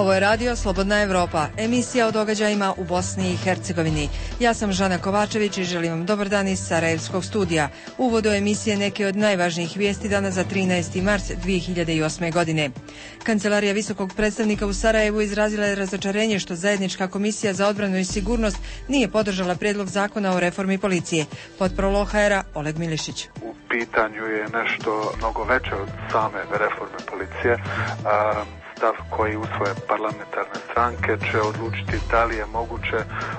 Ovo je radio Slobodna Evropa, emisija o događajima u Bosni i Hercegovini. Ja sam Žana Kovačević i želim vam dobar dan iz Sarajevskog studija. U uvodu emisije neke od najvažnijih vijesti dana za 13. mart 2008. godine. Kancelarija visokog predstavnika u Sarajevu izrazila je razočarenje što zajednička komisija za odbranu i sigurnost nije podržala prijedlog zakona o reformi policije. Potprolo HR-a Oleg Milišić. U pitanju je nešto mnogo veće od same reforme policije. Stav koji usvoje parlamentarne stranke će odlučiti da li je moguće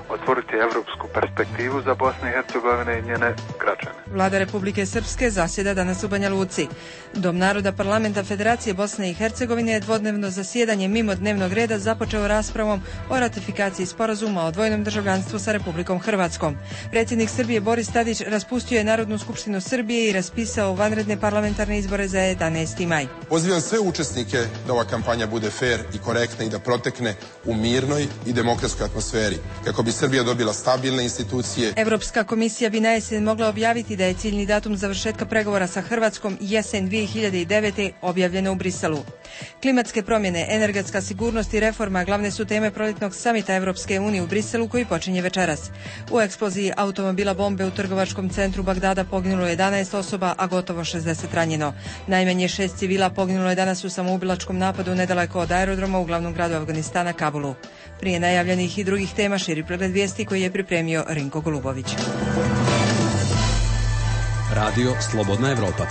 otvoriti evropsku perspektivu za Bosnu i Hercegovine i njene građane. Vlada Republike Srpske zasjeda danas u Banja Luci. Dom naroda parlamenta Federacije Bosne i Hercegovine je dvodnevno zasjedanje mimo dnevnog reda započeo raspravom o ratifikaciji sporazuma o dvojnom državljanstvu sa Republikom Hrvatskom. Predsjednik Srbije Boris Tadić raspustio je Narodnu skupštinu Srbije i raspisao vanredne parlamentarne izbore za 11. maj. Pozivam sve učesnike da ova kampanja bude fer i korektna i da protekne u mirnoj i demokratskoj atmosferi, kako bi Srbija dobila stabilne institucije. Evropska komisija bi na jesen mogla objaviti da je ciljni datum završetka pregovora sa Hrvatskom jesen 2009. objavljeno u Briselu. Klimatske promjene, energetska sigurnost i reforma glavne su teme proljetnog samita Evropske unije u Briselu koji počinje večeras. U eksploziji automobila bombe u trgovačkom centru Bagdada poginulo 11 osoba, a gotovo 60 ranjeno. Najmanje 6 civila poginulo je danas u samoubilačkom napadu nedaleko od aerodroma u glavnom gradu Afganistana, Kabulu. Prije najavljenih i drugih tema širi pregled vijesti koji je pripremio Rinko Golubović. Radio Slobodna Evropa.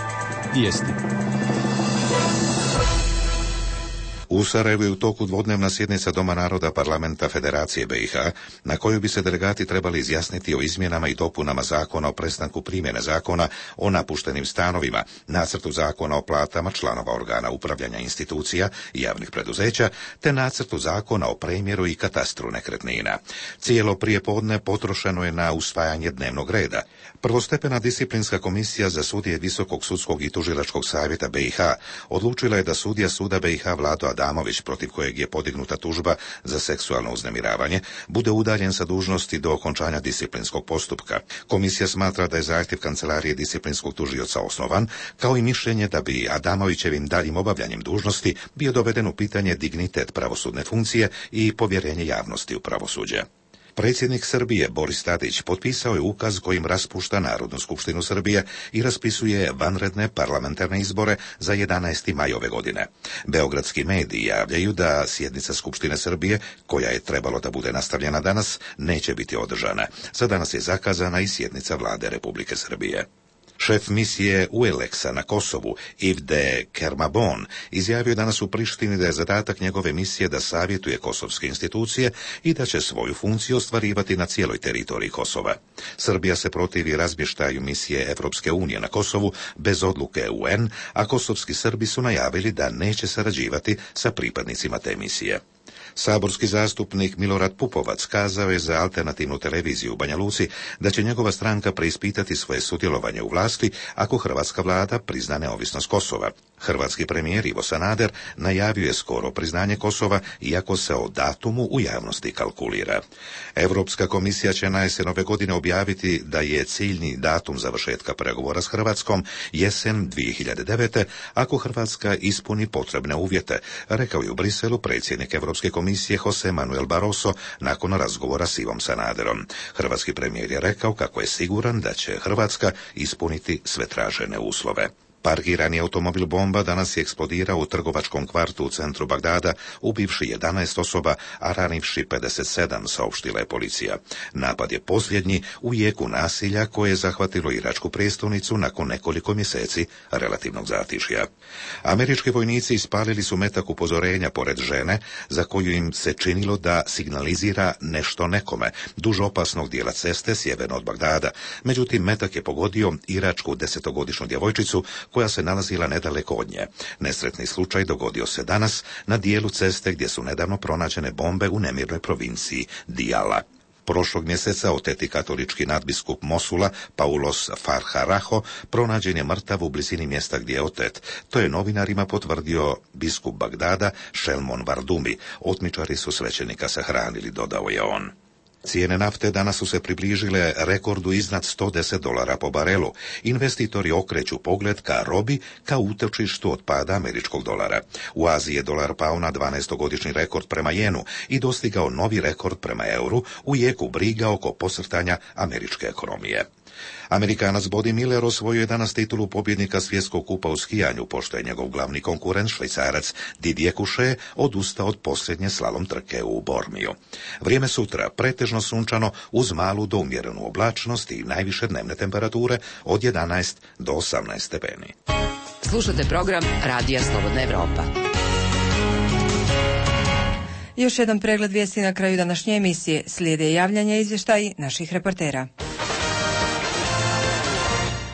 Vijesti. U Sarajevu je u toku dvodnevna sjednica Doma naroda parlamenta Federacije BiH, na kojoj bi se delegati trebali izjasniti o izmjenama i dopunama zakona o prestanku primjene zakona o napuštenim stanovima, nacrtu zakona o platama članova organa upravljanja institucija i javnih preduzeća, te nacrtu zakona o premjeru i katastru nekretnina. Cijelo prijepodne potrošeno je na usvajanje dnevnog reda. Prvostepena disciplinska komisija za sudije Visokog sudskog i tužilačkog savjeta BiH odlučila je da sudija suda BiH Vlado Adamović, protiv kojeg je podignuta tužba za seksualno uznemiravanje, bude udaljen sa dužnosti do okončanja disciplinskog postupka. Komisija smatra da je zahtjev kancelarije disciplinskog tužioca osnovan, kao i mišljenje da bi Adamovićevim daljim obavljanjem dužnosti bio doveden u pitanje dignitet pravosudne funkcije i povjerenje javnosti u pravosuđe. Predsjednik Srbije Boris Tadić potpisao je ukaz kojim raspušta Narodnu skupštinu Srbije i raspisuje vanredne parlamentarne izbore za 11. maj ove godine. Beogradski mediji javljaju da sjednica Skupštine Srbije, koja je trebalo da bude nastavljena danas, neće biti održana. Za danas je zakazana i sjednica Vlade Republike Srbije. Šef misije UELEX-a na Kosovu, Yves de Kermabon, izjavio danas u Prištini da je zadatak njegove misije da savjetuje kosovske institucije i da će svoju funkciju ostvarivati na cijeloj teritoriji Kosova. Srbija se protivi razmještaju misije Evropske unije na Kosovu bez odluke UN, a kosovski Srbi su najavili da neće sarađivati sa pripadnicima te misije. Saborski zastupnik Milorad Pupovac kazao je za alternativnu televiziju u Banja Luci da će njegova stranka preispitati svoje sudjelovanje u vlasti ako hrvatska vlada prizna neovisnost Kosova. Hrvatski premijer Ivo Sanader najavio je skoro priznanje Kosova, iako se o datumu u javnosti kalkulira. Europska komisija će na jesen ove godine objaviti da je ciljni datum završetka pregovora s Hrvatskom jesen 2009. ako Hrvatska ispuni potrebne uvjete, rekao je u Briselu predsjednik Europske komisije Jose Manuel Barroso nakon razgovora s Ivom Sanaderom. Hrvatski premijer je rekao kako je siguran da će Hrvatska ispuniti sve tražene uslove. Parkirani automobil bomba danas je eksplodirao u trgovačkom kvartu u centru Bagdada, ubivši 11 osoba, a ranivši 57, saopštila je policija. Napad je posljednji u jeku nasilja koje je zahvatilo iračku prijestolnicu nakon nekoliko mjeseci relativnog zatišja. Američki vojnici ispalili su metak upozorenja pored žene, za koju im se činilo da signalizira nešto nekome, duž opasnog dijela ceste sjeverno od Bagdada. Međutim, metak je pogodio iračku 10-godišnju djevojčicu koja se nalazila nedaleko od nje. Nesretni slučaj dogodio se danas na dijelu ceste gdje su nedavno pronađene bombe u nemirnoj provinciji Diyala. Prošlog mjeseca oteti katolički nadbiskup Mosula, Paulos Farharaho, pronađen je mrtav u blizini mjesta gdje je otet. To je novinarima potvrdio biskup Bagdada, Šelmon Vardumi. Otmičari su svećenika sahranili, dodao je on. Cijene nafte danas su se približile rekordu iznad $110 po barelu. Investitori okreću pogled ka robi, ka utočištu od pada američkog dolara. U Aziji je dolar pao na 12-godišnji rekord prema jenu i dostigao novi rekord prema euru u jeku briga oko posrtanja američke ekonomije. Amerikanac Body Miller osvojio je danas titulu pobjednika svjetskog kupa u skijanju, pošto je njegov glavni konkurent, Švajcarac Didier Couchet, odustao od posljednje slalom trke u Bormiju. Vrijeme sutra pretežno sunčano uz malu do umjerenu oblačnost i najviše dnevne temperature od 11 do 18 stepeni. Slušate program Radija Slobodna Evropa. Još jedan pregled vijesti na kraju današnje emisije. Slijede javljanja i izvještaji naših reportera.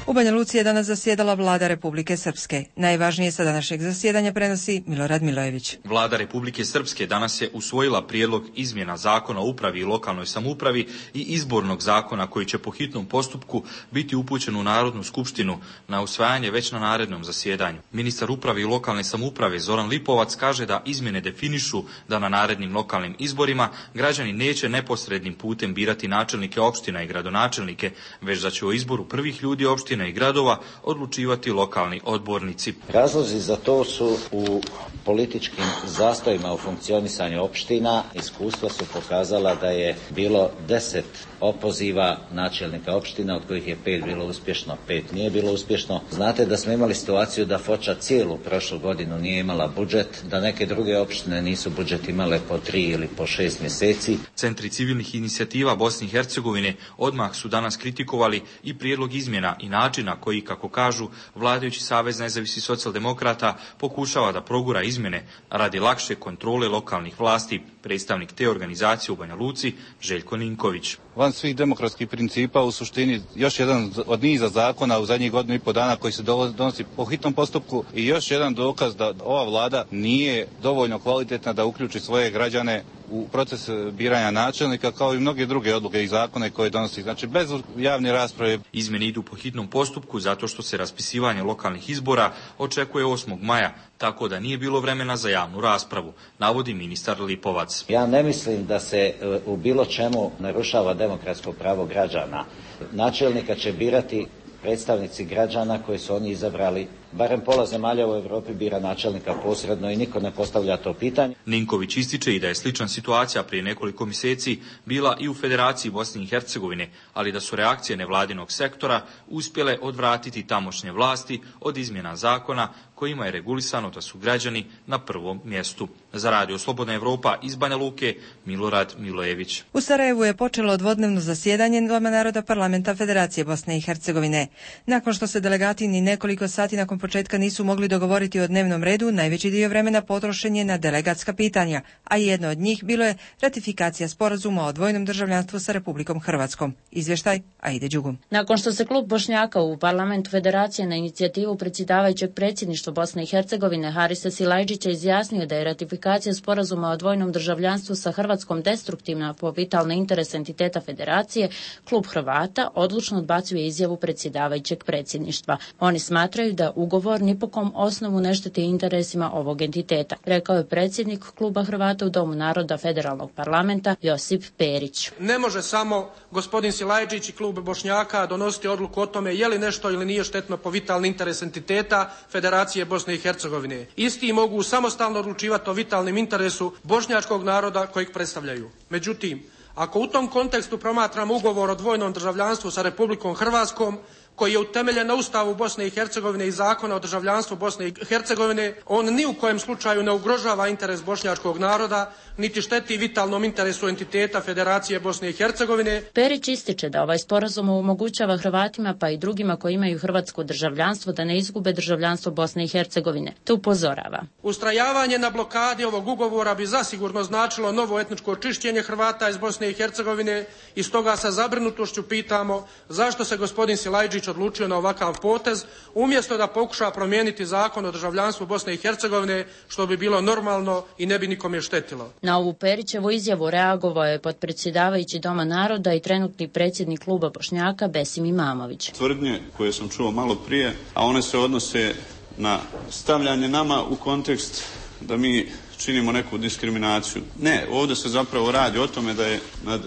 U Banja Luci je danas zasjedala Vlada Republike Srpske. Najvažnije sa današnjeg zasjedanja prenosi Milorad Milojević. Vlada Republike Srpske danas je usvojila prijedlog izmjena Zakona o upravi i lokalnoj samoupravi i izbornog zakona koji će po hitnom postupku biti upućen u Narodnu skupštinu na usvajanje već na narednom zasjedanju. Ministar uprave i lokalne samouprave Zoran Lipovac kaže da izmjene definišu da na narednim lokalnim izborima građani neće neposrednim putem birati načelnike opština i gradonačelnike, već da će o izboru prvih ljudi opština i gradova odlučivati lokalni odbornici. Razlozi za to su u političkim zastojima u funkcionisanju opština. Iskustva su pokazala da je bilo 10 opoziva načelnika opština, od kojih je 5 bilo uspješno, 5 nije bilo uspješno. Znate da smo imali situaciju da Foča cijelu prošlu godinu nije imala budžet, da neke druge opštine nisu budžet imale po 3 ili po 6 mjeseci. Centri civilnih inicijativa Bosne i Hercegovine odmah su danas kritikovali i prijedlog izmjena i načina koji, kako kažu, vladajući Savez nezavisnih socijaldemokrata pokušava da progura izmjene radi lakše kontrole lokalnih vlasti. Predstavnik te organizacije u Banja Luci, Željko Ninković. Van svih demokratskih principa, u suštini još jedan od niza zakona u zadnjih godinu i po dana koji se donosi po hitnom postupku i još jedan dokaz da ova vlada nije dovoljno kvalitetna da uključi svoje građane u proces biranja načelnika, kao i mnoge druge odluke i zakone koje donosi. Znači, bez javne rasprave. Izmjene idu po hitnom postupku zato što se raspisivanje lokalnih izbora očekuje 8. maja, tako da nije bilo vremena za javnu raspravu, navodi ministar Lipovac. Ja ne mislim da se u bilo čemu narušava demokratsko pravo građana. Načelnika će birati predstavnici građana koji su oni izabrali. Barem pola zemalja u Europi bira načelnika posredno i niko ne postavlja to pitanje. Ninković ističe i da je slična situacija prije nekoliko mjeseci bila i u Federaciji Bosne i Hercegovine, ali da su reakcije nevladinog sektora uspjele odvratiti tamošnje vlasti od izmjena zakona kojima je regulisano da su građani na prvom mjestu. Za Radio Slobodna Evropa iz Banja Luke, Milorad Milojević. U Sarajevu je počelo dvodnevno zasjedanje Doma naroda Parlamenta Federacije Bosne i Hercegovine. Nakon što se delegati ni nekoliko sati nakon početka nisu mogli dogovoriti o dnevnom redu, najveći dio vremena potrošen je na delegatska pitanja, a jedno od njih bilo je ratifikacija sporazuma o dvojnom državljanstvu sa Republikom Hrvatskom. Izvještaj Aide Đugum. Nakon što se klub Bošnjaka u Parlamentu Federacije na inicijativu predsjedavajućeg predsjedništva Bosne i Hercegovine Harisa Silajdžića izjasnio da je ratifikacija sporazuma o dvojnom državljanstvu sa Hrvatskom destruktivna po vitalne interese entiteta Federacije, klub Hrvata odlučno odbacuje izjavu predsjedavajućeg predsjedništva. Oni smatraju da ugovor ni po kom osnovu ne šteti interesima ovog entiteta, rekao je predsjednik kluba Hrvata u Domu naroda Federalnog parlamenta Josip Perić. Ne može samo gospodin Silajdžić i klub Bošnjaka donositi odluku o tome je li nešto ili nije štetno po vitalni interes entiteta Federacije Bosne i Hercegovine. Isti mogu samostalno odlučivati o vitalnim interesu bošnjačkog naroda kojeg predstavljaju. Međutim, ako u tom kontekstu promatramo ugovor o dvojnom državljanstvu sa Republikom Hrvatskom, koji je utemeljen na Ustavu Bosne i Hercegovine i Zakona o državljanstvu Bosne i Hercegovine, on ni u kojem slučaju ne ugrožava interes bošnjačkog naroda, niti šteti vitalnom interesu entiteta Federacije Bosne i Hercegovine. Perić ističe da ovaj sporazum omogućava Hrvatima pa i drugima koji imaju hrvatsko državljanstvo da ne izgube državljanstvo Bosne i Hercegovine. To upozorava. Ustrajavanje na blokadi ovog ugovora bi zasigurno značilo novo etničko čišćenje Hrvata iz Bosne i Hercegovine i stoga sa zabrinutošću pitamo zašto se gospodin Silajdžić odlučio na ovakav potez, umjesto da pokuša promijeniti zakon o državljanstvu Bosne i Hercegovine, što bi bilo normalno i ne bi nikome štetilo. Na ovu Perićevu izjavu reagovao je potpredsjedavajući Doma naroda i trenutni predsjednik kluba Bošnjaka Besim Imamović. Tvrdnje koje sam čuo malo prije, a one se odnose na stavljanje nama u kontekst da mi činimo neku diskriminaciju. Ne, ovdje se zapravo radi o tome da je nad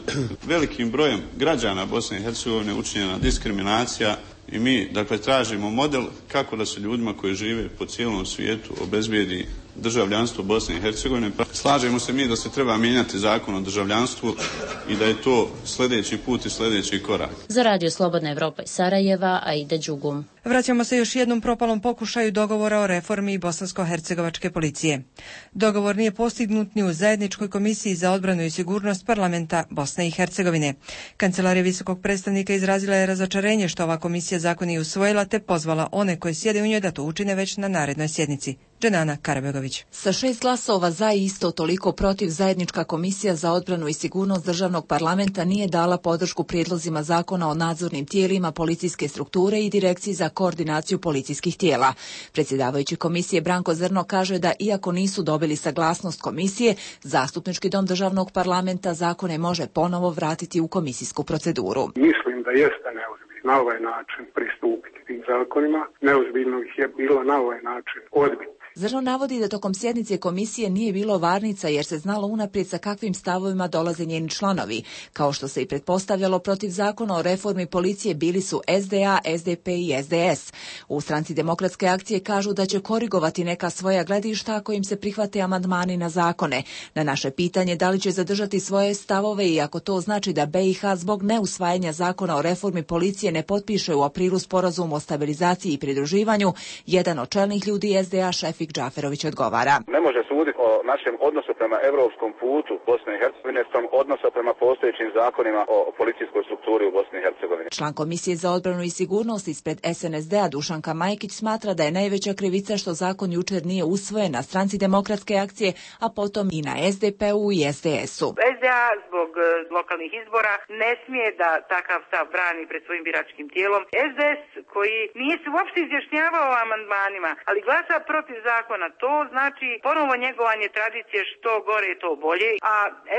velikim brojem građana Bosne i Hercegovine učinjena diskriminacija i mi, dakle, tražimo model kako da se ljudima koji žive po cijelom svijetu obezbijedi državljanstvo Bosne i Hercegovine. Slažemo se mi da se treba mijenjati zakon o državljanstvu i da je to sljedeći put i sljedeći korak. Za Radio Slobodna Evropa iz Sarajeva, Aida Đugum. Vraćamo se još jednom propalom pokušaju dogovora o reformi bosansko-hercegovačke policije. Dogovor nije postignut ni u zajedničkoj komisiji za odbranu i sigurnost parlamenta Bosne i Hercegovine. Kancelarija visokog predstavnika izrazila je razočarenje što ova komisija zakon nije usvojila, te pozvala one koji sjede u njoj da to učine već na narednoj sjednici. Dženana Karabegović. Sa 6 glasova za i isto toliko protiv, zajednička komisija za odbranu i sigurnost državnog parlamenta nije dala podršku prijedlozima zakona o nadzornim tijelima policijske strukture i direkciji za koordinaciju policijskih tijela. Predsjedavajući komisije Branko Zrno kaže da iako nisu dobili saglasnost komisije, zastupnički dom državnog parlamenta zakone može ponovo vratiti u komisijsku proceduru. Mislim da jeste neozbiljno na ovaj način pristupiti tim zakonima. Neozbiljno ih je bilo na ovaj način odbiti. Zrno navodi da tokom sjednice komisije nije bilo varnica jer se znalo unaprijed sa kakvim stavovima dolaze njeni članovi. Kao što se i pretpostavljalo, protiv zakona o reformi policije bili su SDA, SDP i SDS. U Stranci demokratske akcije kažu da će korigovati neka svoja gledišta ako im se prihvate amandmani na zakone. Na naše pitanje da li će zadržati svoje stavove i ako to znači da BiH zbog neusvajanja zakona o reformi policije ne potpiše u aprilu sporazum o stabilizaciji i pridruživanju, jedan od čelnih ljudi SDA Šefik Džaferović odgovara. Ne može suditi o našem odnosu prema europskom putu Bosne i Hercegovine spram odnosa prema postojećim zakonima o policijskoj strukturi u Bosni i Hercegovini. Član Komisije za odbranu i sigurnost ispred SNSD-a Dušanka Majkić smatra da je najveća krivica što zakon jučer nije usvojen na Stranci demokratske akcije, a potom i na SDP-u i SDS-u. SDA zbog lokalnih izbora ne smije da takav stav brani pred svojim biračkim tijelom. SDS koji nije se uopšte izjašnjavao o amandmanima, ali glasa protiv zakona, to znači ponovo njegovanje tradicije što gore to bolje, a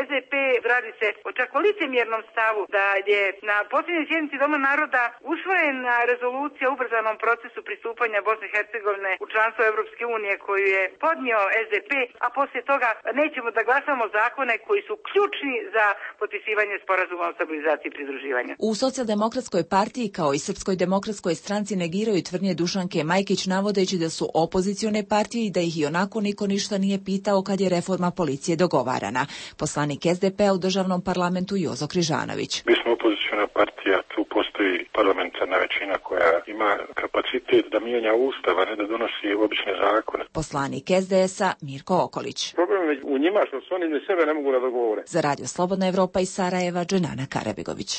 SDP radi se o čak licemjernom stavu da je na posljednjoj sjednici Doma naroda usvojena rezolucija o ubrzanom procesu pristupanja Bosne i Hercegovine u članstvo Europske unije koju je podnio SDP, a poslije toga nećemo da glasamo zakone koji su ključni za potpisivanje sporazuma o stabilizaciji i pridruživanju. U Socijaldemokratskoj partiji kao i Srpskoj demokratskoj stranci negiraju tvrdnje Dušanke Majkić navodeći da su opozicione partije i da ih i onako niko ništa nije pitao kad je reforma policije dogovarana. Poslanik SDP-a u državnom parlamentu Jozo Križanović. Mi smo opoziciona partija, tu postoji parlamentarna većina koja ima kapacitet da mijenja ustav, a ne da donosi obične zakone. Poslanik SDS-a Mirko Okolić. Problem je u njima što su oni ni sebe ne mogu da dogovore. Za Radio Slobodna Evropa iz Sarajeva, Dženana Karabegović.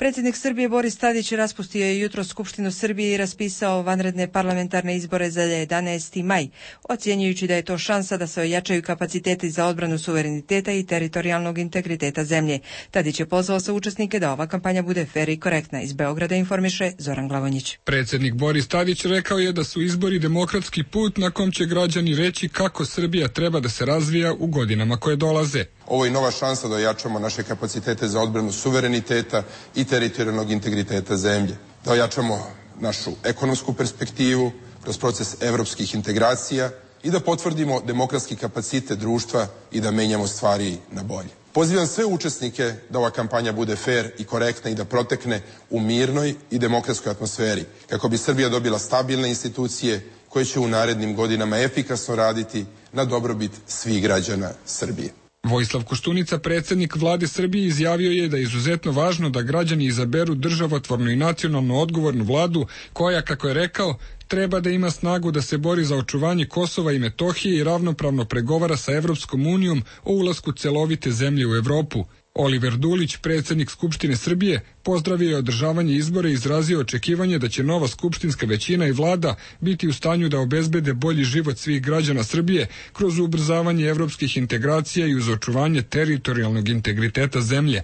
Predsjednik Srbije Boris Tadić raspustio je jutros Skupštinu Srbije i raspisao vanredne parlamentarne izbore za 11. maj, ocjenjujući da je to šansa da se ojačaju kapaciteti za odbranu suvereniteta i teritorijalnog integriteta zemlje. Tadić je pozvao sve učesnike da ova kampanja bude fer i korektna. Iz Beograda informiše Zoran Glavonjić. Predsjednik Boris Tadić rekao je da su izbori demokratski put na kom će građani reći kako Srbija treba da se razvija u godinama koje dolaze. Ovo je nova šansa da ojačamo naše kapacitete za odbranu suvereniteta i teritorijalnog integriteta zemlje. Da ojačamo našu ekonomsku perspektivu kroz proces evropskih integracija i da potvrdimo demokratski kapacitet društva i da menjamo stvari na bolje. Pozivam sve učesnike da ova kampanja bude fer i korektna i da protekne u mirnoj i demokratskoj atmosferi, kako bi Srbija dobila stabilne institucije koje će u narednim godinama efikasno raditi na dobrobit svih građana Srbije. Vojislav Koštunica, predsjednik vlade Srbije, izjavio je da je izuzetno važno da građani izaberu državotvornu i nacionalno odgovornu vladu koja, kako je rekao, treba da ima snagu da se bori za očuvanje Kosova i Metohije i ravnopravno pregovara sa Evropskom unijom o ulasku celovite zemlje u Evropu. Oliver Dulić, predsjednik Skupštine Srbije, pozdravio je održavanje izbora i izrazio očekivanje da će nova skupštinska većina i vlada biti u stanju da obezbede bolji život svih građana Srbije kroz ubrzavanje evropskih integracija i uz očuvanje teritorijalnog integriteta zemlje.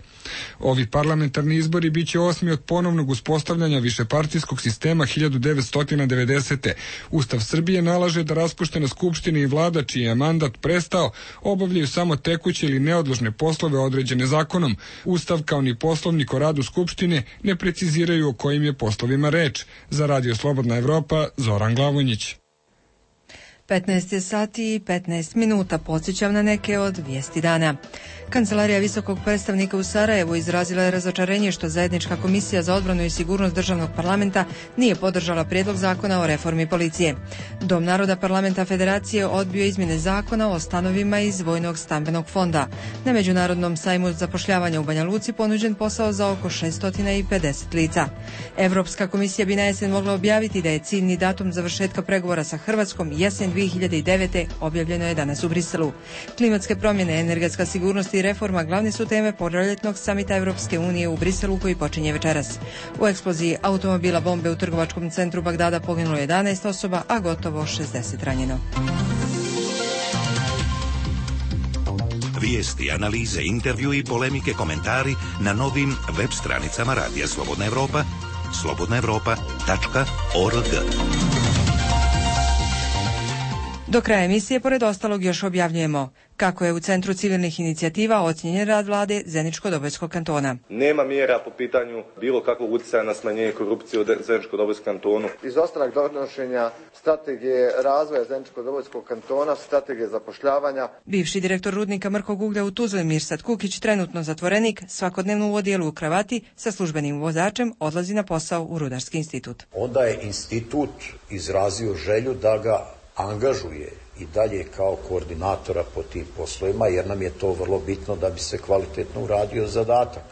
Ovi parlamentarni izbori biće 8. od ponovnog uspostavljanja višepartijskog sistema 1990. Ustav Srbije nalaže da raspuštena skupština i vlada čiji je mandat prestao obavljaju samo tekuće ili neodložne poslove određene zakonom. Ustav kao ni poslovnik o radu Skupštine ne preciziraju o kojim je poslovima reč. Za Radio Slobodna Evropa, Zoran Glavonjić. 15 sati i 15 minuta. Podsjećam na neke od vijesti dana. Kancelarija visokog predstavnika u Sarajevu izrazila je razočarenje što zajednička komisija za odbranu i sigurnost državnog parlamenta nije podržala prijedlog zakona o reformi policije. Dom naroda parlamenta Federacije odbio izmjene zakona o stanovima iz vojnog stambenog fonda. Na međunarodnom sajmu zapošljavanja u Banja Luci ponuđen posao za oko 650 lica. Europska komisija bi na jesen mogla objaviti da je ciljni datum završetka pregovora sa Hrvatskom jesen 2009. objavljeno je danas u Briselu. Klimatske promjene, energetska sigurnost i reforma glavne su teme proljetnog samita Europske unije u Briselu koji počinje večeras. U eksploziji automobila bombe u trgovačkom centru Bagdada poginulo 11 osoba, a gotovo 60 ranjeno. Vijesti, analize, intervju i polemike, komentari na novim web stranicama Radija Slobodna Evropa, slobodnaevropa.org. Do kraja emisije, pored ostalog, još objavljujemo kako je u Centru civilnih inicijativa ocijenjen rad vlade Zeničko-Dobojskog kantona. Nema mjera po pitanju bilo kakvog utjecaja na smanjenje korupcije u Zeničko-Dobojskom kantonu. Izostanak donošenja strategije razvoja Zeničko-Dobojskog kantona, strategije zapošljavanja. Bivši direktor rudnika mrkog uglja u Tuzli Mirsad Kukić, trenutno zatvorenik, svakodnevno u odjelu u kravati sa službenim vozačem odlazi na posao u Rudarski institut. Onda je institut izrazio želju da ga angažuje i dalje kao koordinatora po tim poslovima, jer nam je to vrlo bitno da bi se kvalitetno uradio zadatak.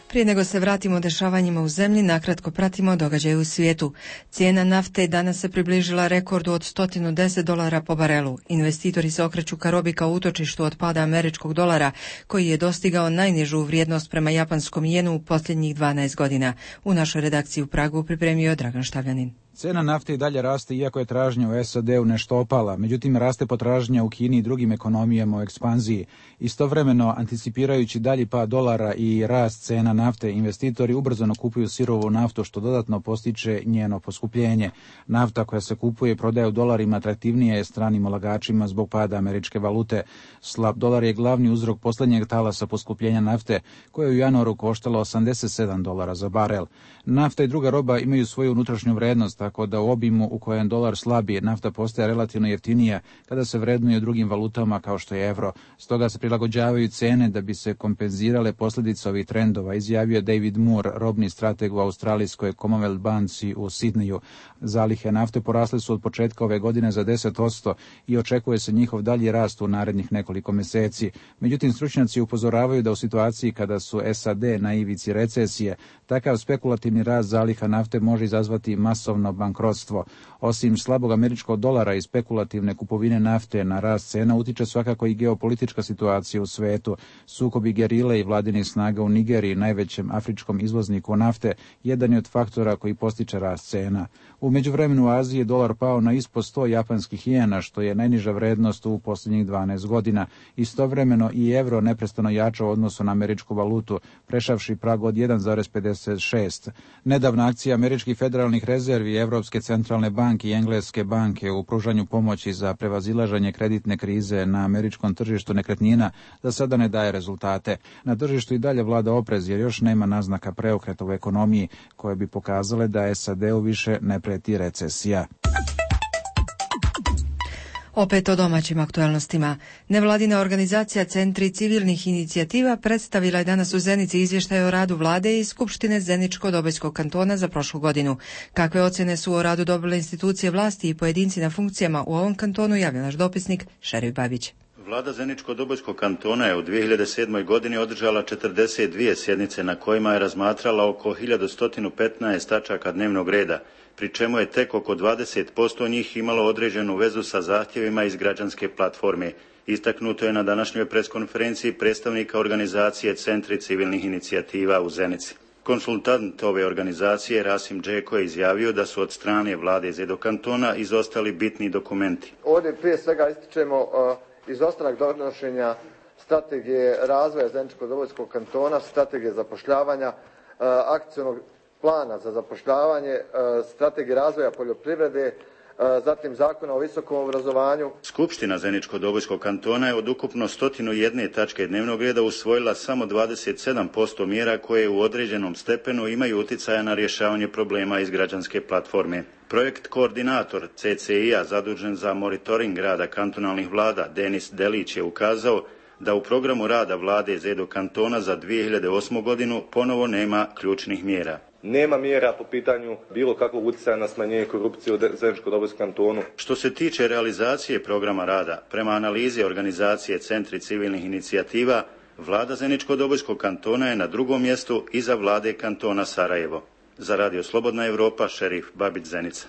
Prije nego se vratimo dešavanjima u zemlji, nakratko pratimo događaje u svijetu. Cijena nafte danas se približila rekordu od $110 po barelu. Investitori se okreću ka robi kao utočištu od pada američkog dolara, koji je dostigao najnižu vrijednost prema japanskom jenu u posljednjih 12 godina. U našoj redakciji u Pragu pripremio Dragan Štavljanin. Cena nafte i dalje raste iako je tražnja u SAD-u nešto opala, međutim raste potražnja u Kini i drugim ekonomijama u ekspanziji. Istovremeno, anticipirajući dalji pad dolara i rast cena nafte, investitori ubrzano kupuju sirovu naftu što dodatno postiče njeno poskupljenje. Nafta koja se kupuje i prodaje u dolarima atraktivnija je stranim ulagačima zbog pada američke valute. Slab dolar je glavni uzrok posljednjeg talasa poskupljenja nafte, koje je u januaru koštalo $87 za barel. Nafta i druga roba imaju svoju unutrašnju vrednost, tako da u obimu u kojem dolar slabi, nafta postaje relativno jeftinija kada se vrednuje u drugim valutama kao što je evro. Stoga se prilagođavaju cene da bi se kompenzirale posljedice ovih trendova, izjavio David Moore, robni strateg u australijskoj Commonwealth banci u Sidneju. Zalihe nafte porasle su od početka ove godine za 10% i očekuje se njihov dalji rast u narednih nekoliko mjeseci. Međutim, stručnjaci upozoravaju da u situaciji kada su SAD na ivici recesije, takav spekulativni rast zaliha nafte može izazvati masovno bankrotstvo. Osim slabog američkog dolara i spekulativne kupovine nafte na rast cena utiče svakako i geopolitička situacija u svetu. Sukobi gerile i vladinih snaga u Nigeriji, najvećem afričkom izvozniku nafte, jedan je od faktora koji postiče rast cena. U međuvremenu u Aziji je dolar pao na ispod 100 japanskih jena, što je najniža vrednost u posljednjih 12 godina. Istovremeno i evro neprestano jača u odnosu na američku valutu, prešavši prag od 1,56. Nedavna akcija američkih federalnih rezervi, Evropske centralne banke i Engleske banke u pružanju pomoći za prevazilaženje kreditne krize na američkom tržištu nekretnina za sada ne daje rezultate. Na tržištu i dalje vlada oprez jer još nema naznaka preokreta u ekonomiji koje bi pokazale da SAD-u više ne prijeti recesija. Opet o domaćim aktualnostima. Nevladina organizacija Centri civilnih inicijativa predstavila je danas u Zenici izvještaj o radu vlade i Skupštine Zeničko-Dobojskog kantona za prošlu godinu. Kakve ocjene su o radu dobile institucije vlasti i pojedinci na funkcijama u ovom kantonu, javlja naš dopisnik Šerif Babić. Vlada Zeničko-Dobojskog kantona je u 2007. godini održala 42 sjednice na kojima je razmatrala oko 1115 tačaka dnevnog reda, pri čemu je tek oko 20% njih imalo određenu vezu sa zahtjevima iz građanske platforme. Istaknuto je na današnjoj preskonferenciji predstavnika organizacije Centri civilnih inicijativa u Zenici. Konsultant ove organizacije Rasim Džeko je izjavio da su od strane vlade Zedo kantona izostali bitni dokumenti. Ovdje prije svega ističemo izostanak donošenja strategije razvoja Zeničko-Dobojskog kantona, strategije zapošljavanja, akcionog plana za zapošljavanje, strategije razvoja poljoprivrede, zatim Zakona o visokom obrazovanju. Skupština Zeničko-Dobojskog kantona je od ukupno 101 tačke dnevnog reda usvojila samo 27% mjera koje u određenom stepenu imaju utjecaja na rješavanje problema iz građanske platforme. Projekt koordinator CCI-a zadužen za monitoring rada kantonalnih vlada Denis Delić je ukazao da u programu rada vlade ZEDO kantona za 2008. godinu ponovo nema ključnih mjera. Nema mjera po pitanju bilo kakvog utjecaja na smanjenje korupcije u Zeničko-Dobojskom kantonu. Što se tiče realizacije programa rada, prema analizi organizacije Centri civilnih inicijativa, vlada Zeničko-Dobojskog kantona je na drugom mjestu iza vlade kantona Sarajevo. Za Radio Slobodna Evropa, šerif Babić Zenica.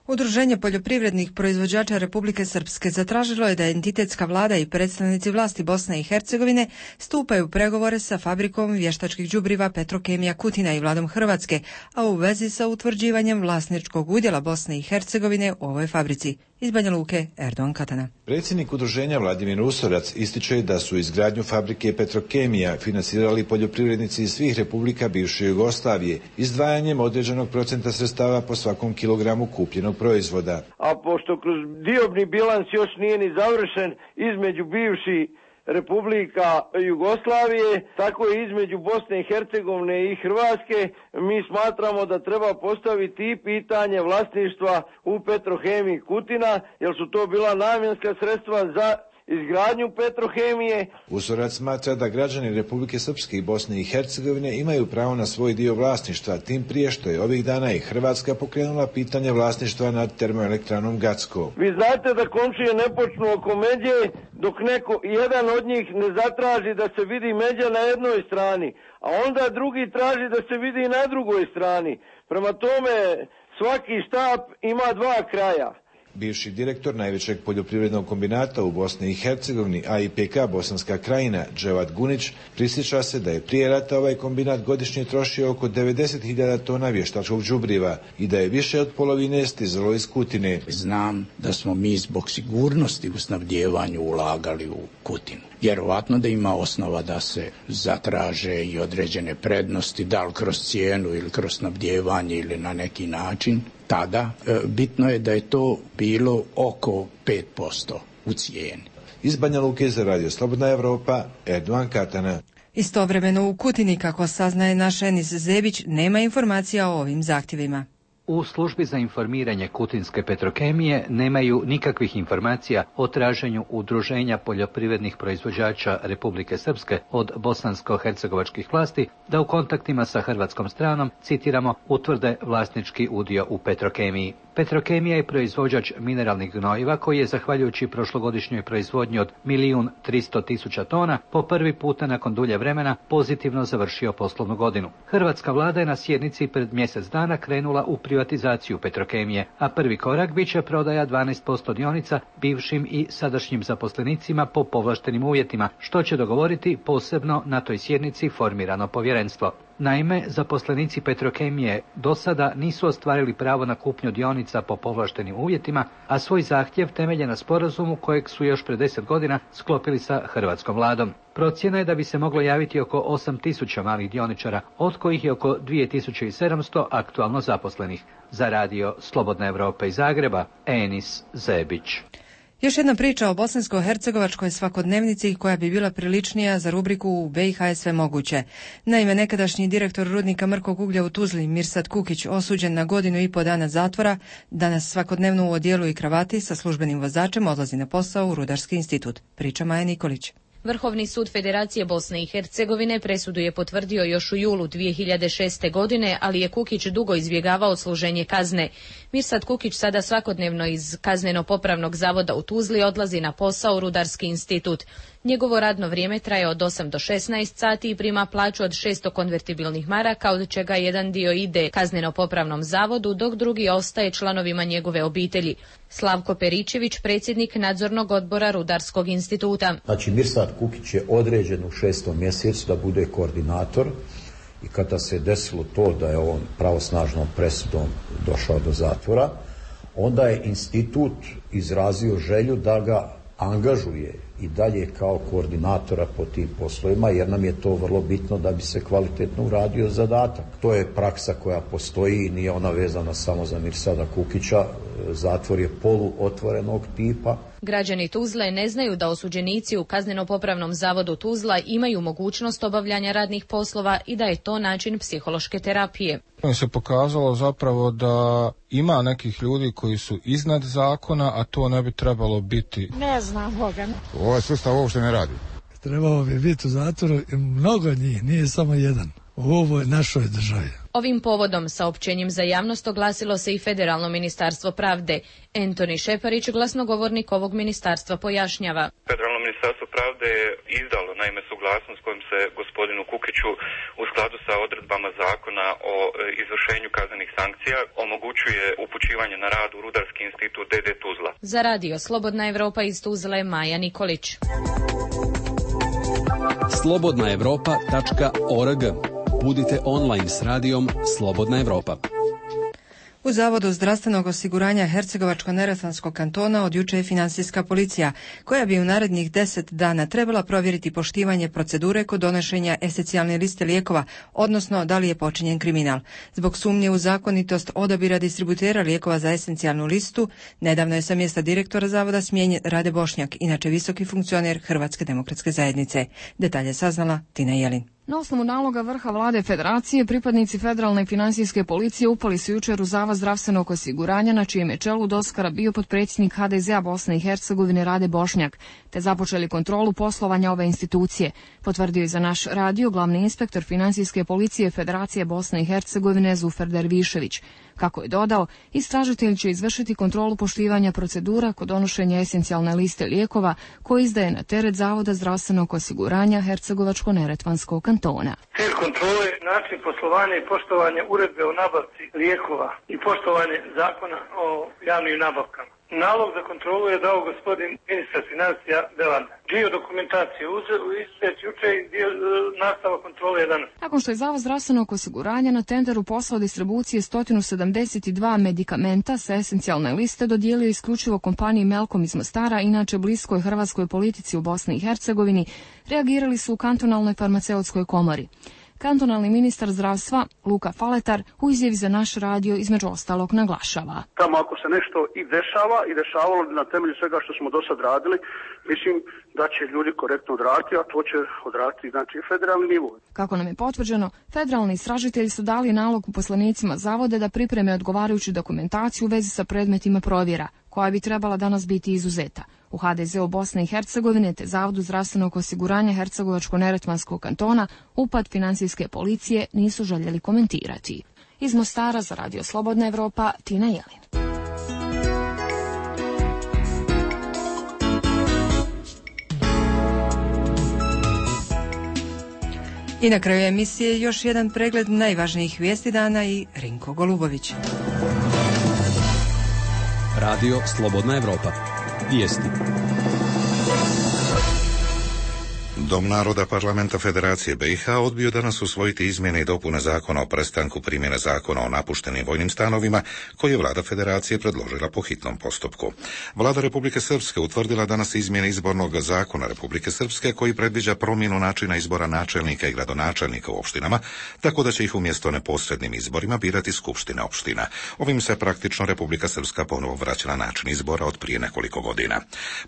Udruženje poljoprivrednih proizvođača Republike Srpske zatražilo je da entitetska vlada i predstavnici vlasti Bosne i Hercegovine stupaju u pregovore sa fabrikom vještačkih đubriva Petrokemija Kutina i vladom Hrvatske, a u vezi sa utvrđivanjem vlasničkog udjela Bosne i Hercegovine u ovoj fabrici. Iz Banja Luke, Erdogan Katana. Predsjednik udruženja Vladimir Usorac ističe da su izgradnju fabrike Petrokemija financirali poljoprivrednici iz svih republika bivše Jugoslavije, izdvajanjem određenog procenta sredstava po svakom kilogramu kupljenog proizvoda. A pošto kroz diobni bilans još nije ni završen između bivših Republika Jugoslavije, tako je između Bosne i Hercegovine i Hrvatske. Mi smatramo da treba postaviti i pitanje vlasništva u Petrohemiji Kutina, jer su to bila namjenska sredstva za izgradnju Petrohemije. Usorac smatra da građani Republike Srpske i Bosne i Hercegovine imaju pravo na svoj dio vlasništva, tim prije što je ovih dana i Hrvatska pokrenula pitanje vlasništva nad termoelektranom Gacko. Vi znate da komšije ne počnu oko međe dok jedan od njih ne zatraži da se vidi međa na jednoj strani, a onda drugi traži da se vidi na drugoj strani. Prema tome svaki štap ima dva kraja. Bivši direktor najvećeg poljoprivrednog kombinata u Bosni i Hercegovini, AIPK Bosanska krajina, Dževat Gunić, prisjeća se da je prije rata ovaj kombinat godišnje trošio oko 90.000 tona vještačkog đubriva i da je više od polovine stizalo iz Kutine. Znam da smo mi zbog sigurnosti u snabdjevanju ulagali u Kutinu. Vjerovatno da ima osnova da se zatraže i određene prednosti, da li kroz cijenu ili kroz snabdjevanje ili na neki način. Tada bitno je da je to bilo oko 5% u cijeni. Iz Banja Luke za Radio Slobodna Evropa, Erdogan Katana. Istovremeno u Kutini, kako saznaje naš Enis Zebić, nema informacija o ovim zahtjevima. U službi za informiranje Kutinske Petrokemije nemaju nikakvih informacija o traženju udruženja poljoprivrednih proizvođača Republike Srpske od bosansko-hercegovačkih vlasti da u kontaktima sa hrvatskom stranom, citiramo, utvrde vlasnički udio u Petrokemiji. Petrokemija je proizvođač mineralnih gnojiva koji je, zahvaljujući prošlogodišnjoj proizvodnji od 1.300.000 tona, po prvi puta nakon dulje vremena pozitivno završio poslovnu godinu. Hrvatska vlada je na sjednici pred mjesec dana krenula u privatizaciju Petrokemije, a prvi korak bit će prodaja 12% dionica bivšim i sadašnjim zaposlenicima po povlaštenim uvjetima, što će dogovoriti posebno na toj sjednici formirano povjerenstvo. Naime, zaposlenici Petrokemije do sada nisu ostvarili pravo na kupnju dionica po povlaštenim uvjetima, a svoj zahtjev temelje na sporazumu kojeg su još pred 10 godina sklopili sa hrvatskom vladom. Procjena je da bi se moglo javiti oko 8.000 malih dioničara, od kojih je oko 2.700 aktualno zaposlenih. Za Radio Slobodna Evropa iz Zagreba, Enis Zebić. Još jedna priča o bosansko-hercegovačkoj svakodnevnici koja bi bila priličnija za rubriku U BiH je sve moguće. Naime, nekadašnji direktor rudnika mrkog uglja u Tuzli, Mirsad Kukić, osuđen na 1,5 dana zatvora, danas svakodnevno u odijelu i kravati sa službenim vozačem odlazi na posao u Rudarski institut. Priča Maja Nikolić. Vrhovni sud Federacije Bosne i Hercegovine presudu je potvrdio još u julu 2006. godine, ali je Kukić dugo izbjegavao služenje kazne. Mirsad Kukić sada svakodnevno iz kazneno-popravnog zavoda u Tuzli odlazi na posao u Rudarski institut. Njegovo radno vrijeme traje od 8 do 16 sati i prima plaću od 600 konvertibilnih maraka, od čega jedan dio ide kazneno-popravnom zavodu, dok drugi ostaje članovima njegove obitelji. Slavko Peričević, predsjednik nadzornog odbora Rudarskog instituta. Znači, Mirsad Kukić je određen u 6. mjesecu da bude koordinator i kada se desilo to da je on pravosnažnom presudom došao do zatvora, onda je institut izrazio želju da ga angažuje i dalje kao koordinatora po tim poslovima, jer nam je to vrlo bitno da bi se kvalitetno uradio zadatak. To je praksa koja postoji, nije ona vezana samo za Mirsada Kukića, zatvor je poluotvorenog tipa. Građani Tuzle ne znaju da osuđenici u Kazneno-popravnom zavodu Tuzla imaju mogućnost obavljanja radnih poslova i da je to način psihološke terapije. Se pokazalo zapravo da ima nekih ljudi koji su iznad zakona, a to ne bi trebalo biti. Ne znam Boga. Ovaj sustav uopšte ne radi. Trebalo bi biti u zatvoru mnogo njih, nije samo jedan. U ovoj našoj državi. Ovim povodom saopćenjem za javnost oglasilo se i Federalno ministarstvo pravde. Antoni Šeparić, glasnogovornik ovog ministarstva, pojašnjava. Federalno ministarstvo pravde je izdalo naime suglasnost kojom se gospodinu Kukiću u skladu sa odredbama zakona o izvršenju kaznenih sankcija omogućuje upućivanje na rad u Rudarski institut DD Tuzla. Za radio Slobodna Evropa iz Tuzle, Maja Nikolić. slobodnaevropa.org. Budite online s radijom Slobodna Evropa. U Zavodu zdravstvenog osiguranja Hercegovačko-neretvanskog kantona od juče je financijska policija, koja bi u narednih 10 dana trebala provjeriti poštivanje procedure kod donošenja esencijalne liste lijekova, odnosno da li je počinjen kriminal. Zbog sumnje u zakonitost odabira distributera lijekova za esencijalnu listu, nedavno je sa mjesta direktora Zavoda smijenjen Rade Bošnjak, inače visoki funkcioner Hrvatske demokratske zajednice. Detalje saznala Tina Jelin. Na osnovu naloga vrha vlade federacije, pripadnici federalne financijske policije upali su jučer u Zavod zdravstvenog osiguranja, na čijem je čelu doskara bio potpredsjednik HDZ-a Bosne i Hercegovine Rade Bošnjak, te započeli kontrolu poslovanja ove institucije, potvrdio je za naš radio glavni inspektor financijske policije Federacije Bosne i Hercegovine Zufer Dervišević. Kako je dodao, istražitelj će izvršiti kontrolu poštivanja procedura kod donošenja esencijalne liste lijekova koje izdaje na teret Zavoda zdravstvenog osiguranja Hercegovačko-neretvanskog kantona. Cilj kontrole, način poslovanja i poštovanje uredbe o nabavci lijekova i poštovanje zakona o javnim nabavkama. Nalog za kontrolu je dao gospodin ministar financija Belanda. Dio dokumentacije izuzet juče i dio nastava kontrole je danas. Nakon što je Zavod zdravstvenog osiguranja na tenderu poslao distribucije 172 medikamenta sa esencijalne liste dodijelio isključivo kompaniji Melkom iz Mostara, inače bliskoj hrvatskoj politici u Bosni i Hercegovini, reagirali su u kantonalnoj farmaceutskoj komori. Kantonalni ministar zdravstva Luka Faletar u izjavi za naš radio između ostalog naglašava. Tamo ako se nešto i dešava i dešavalo na temelju svega što smo do sad radili, mislim da će ljudi korektno odraditi, a to će odraditi znači federalni nivo. Kako nam je potvrđeno, federalni istražitelji su dali nalog uposlenicima zavoda da pripreme odgovarajuću dokumentaciju u vezi sa predmetima provjera, koja bi trebala danas biti izuzeta. U HDZ-u Bosne i Hercegovine te Zavodu zdravstvenog osiguranja Hercegovačko-neretvanskog kantona upad financijske policije nisu željeli komentirati. Iz Mostara za radio Slobodna Evropa, Tina Jelin. I na kraju emisije još jedan pregled najvažnijih vijesti dana i Rinko Golubović. Radio Slobodna Evropa. Vijesti. Dom naroda Parlamenta Federacije BiH odbio danas usvojiti izmjene i dopune zakona o prestanku primjene zakona o napuštenim vojnim stanovima, koji je vlada Federacije predložila po hitnom postupku. Vlada Republike Srpske utvrdila danas izmjene izbornog zakona Republike Srpske, koji predviđa promjenu načina izbora načelnika i gradonačelnika u opštinama, tako da će ih umjesto neposrednim izborima birati skupštine opština. Ovim se praktično Republika Srpska ponovo vraća na način izbora od prije nekoliko godina.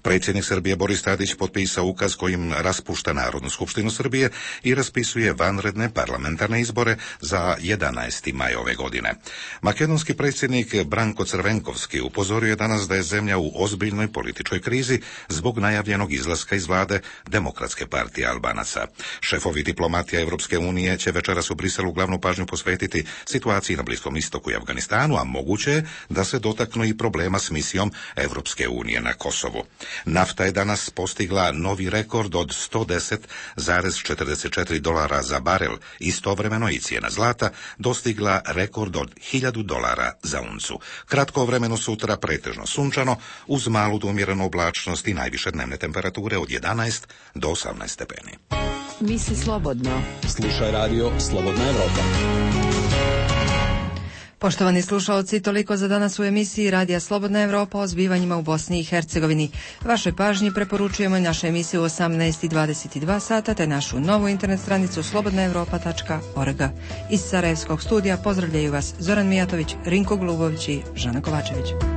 Predsjednik Srbije Boris Tadić potpisao ukaz kojim raspušta Narodnu skupštinu Srbije i raspisuje vanredne parlamentarne izbore za 11. maj ove godine. Makedonski predsjednik Branko Crvenkovski upozorio je danas da je zemlja u ozbiljnoj političkoj krizi zbog najavljenog izlaska iz vlade Demokratske partije Albanaca. Šefovi diplomatija Evropske unije će večeras u Briselu glavnu pažnju posvetiti situaciji na Bliskom istoku i Afganistanu, a moguće je da se dotaknu i problema s misijom Evropske unije na Kosovu. Nafta je danas postigla novi rekord od $110,44 za barel. Istovremeno i cijena zlata dostigla rekord od $1.000 za uncu. Kratko vremeno sutra pretežno sunčano, uz malu do umjerenu oblačnost i najviše dnevne temperature od 11 do 18 stepeni. Misli slobodno. Slušaj radio Slobodna Evropa. Poštovani slušalci, toliko za danas u emisiji Radija Slobodna Evropa o zbivanjima u Bosni i Hercegovini. Vašoj pažnji preporučujemo našu emisiju u 18:22 sata te našu novu internet stranicu slobodnaevropa.org. Iz Sarajevskog studija pozdravljaju vas Zoran Mijatović, Rinko Glubović i Žana Kovačević.